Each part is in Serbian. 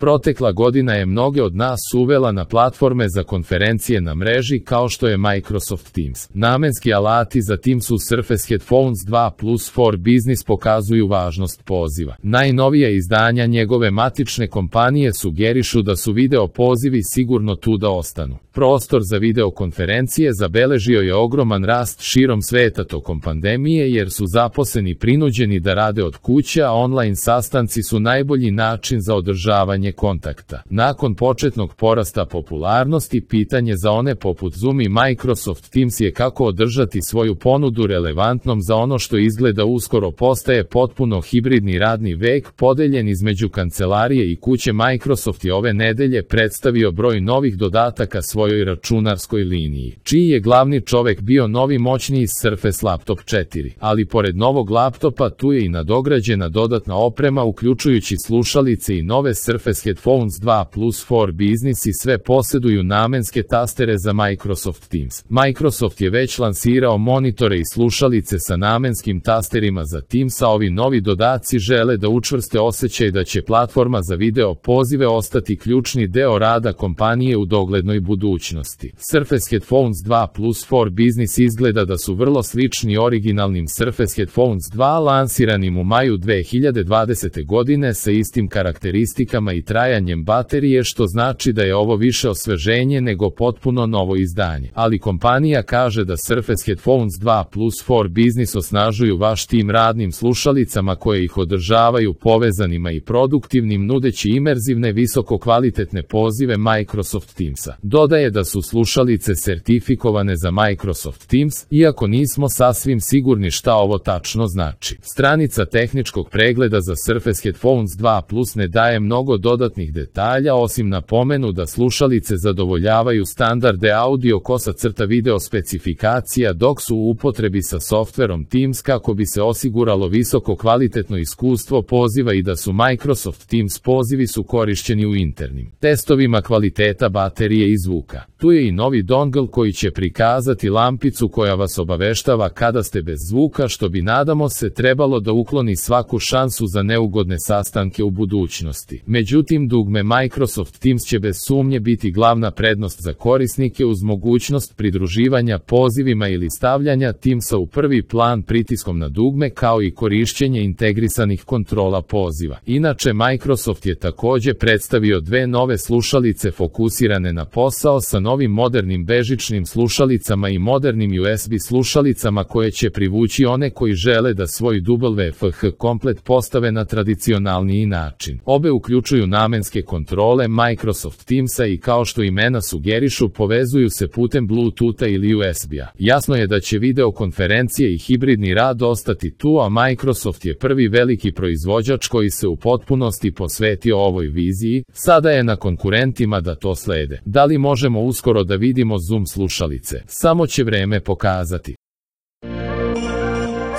Protekla godina je mnoge od nas uvela na platforme za konferencije na mreži kao što je Microsoft Teams. Namenski alati za Teams u Surface Headphones 2 Plus for Business pokazuju važnost poziva. Najnovija izdanja njegove matične kompanije sugerišu da su video pozivi sigurno tu da ostanu. Prostor za videokonferencije zabeležio je ogroman rast širom sveta tokom pandemije jer su zaposleni prinuđeni da rade od kuće, a online sastanci su najbolji način za održavanje kontakta. Nakon početnog porasta popularnosti, pitanje za one poput Zoom i Microsoft Teams je kako održati svoju ponudu relevantnom za ono što izgleda uskoro postaje potpuno hibridni radni vek podeljen između kancelarije i kuće. Microsoft je ove nedelje predstavio broj novih dodataka svojoj računarskoj liniji, čiji je glavni čovek bio novi moćniji Surface Laptop 4, ali pored novog laptopa tu je i nadograđena dodatna oprema uključujući slušalice i nove Surface Headphones 2 Plus for Business i sve posjeduju namenske tastere za Microsoft Teams. Microsoft je već lansirao monitore i slušalice sa namenskim tasterima za Teams, a ovi novi dodaci žele da učvrste osjećaj da će platforma za video pozive ostati ključni deo rada kompanije u doglednoj budućnosti. Surface Headphones 2 Plus for Business izgleda da su vrlo slični originalnim Surface Headphones 2 lansiranim u maju 2020. godine sa istim karakteristikama i trajanjem baterije, što znači da je ovo više osveženje nego potpuno novo izdanje. Ali kompanija kaže da Surface Headphones 2 Plus for Business osnažuju vaš tim radnim slušalicama koje ih održavaju povezanima i produktivnim nudeći imerzivne visokokvalitetne pozive Microsoft Teamsa. Dodaje da su slušalice sertifikovane za Microsoft Teams, iako nismo sasvim sigurni šta ovo tačno znači. Stranica tehničkog pregleda za Surface Headphones 2 Plus ne daje mnogo dodatnih detalja osim napomenu da slušalice zadovoljavaju standarde audio _video specifikacija dok su u upotrebi sa softverom Teams kako bi se osiguralo visoko kvalitetno iskustvo poziva i da su Microsoft Teams pozivi su korišćeni u internim testovima kvaliteta baterije i zvuka. Tu je i novi dongle koji će prikazati lampicu koja vas obaveštava kada ste bez zvuka, što bi nadamo se trebalo da ukloni svaku šansu za neugodne sastanke u budućnosti. Međutim, dugme Microsoft Teams će bez sumnje biti glavna prednost za korisnike uz mogućnost pridruživanja pozivima ili stavljanja Teamsa u prvi plan pritiskom na dugme kao i korišćenje integrisanih kontrola poziva. Inače, Microsoft je također predstavio dve nove slušalice fokusirane na posao sa novim modernim bežičnim slušalicama i modernim USB slušalicama koje će privući one koji žele da svoj WFH komplet postave na tradicionalniji način. Obe uključuju namenske kontrole Microsoft Teamsa i kao što imena sugerišu povezuju se putem Bluetootha ili USB-a. Jasno je da će videokonferencije i hibridni rad ostati tu, a Microsoft je prvi veliki proizvođač koji se u potpunosti posvetio ovoj viziji, sada je na konkurentima da to slede. Da li možemo uskoro da vidimo Zoom slušalice? Samo će vreme pokazati.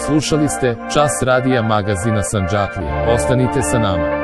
Slušali ste Čas radija magazina Sandžaklija. Ostanite sa nama.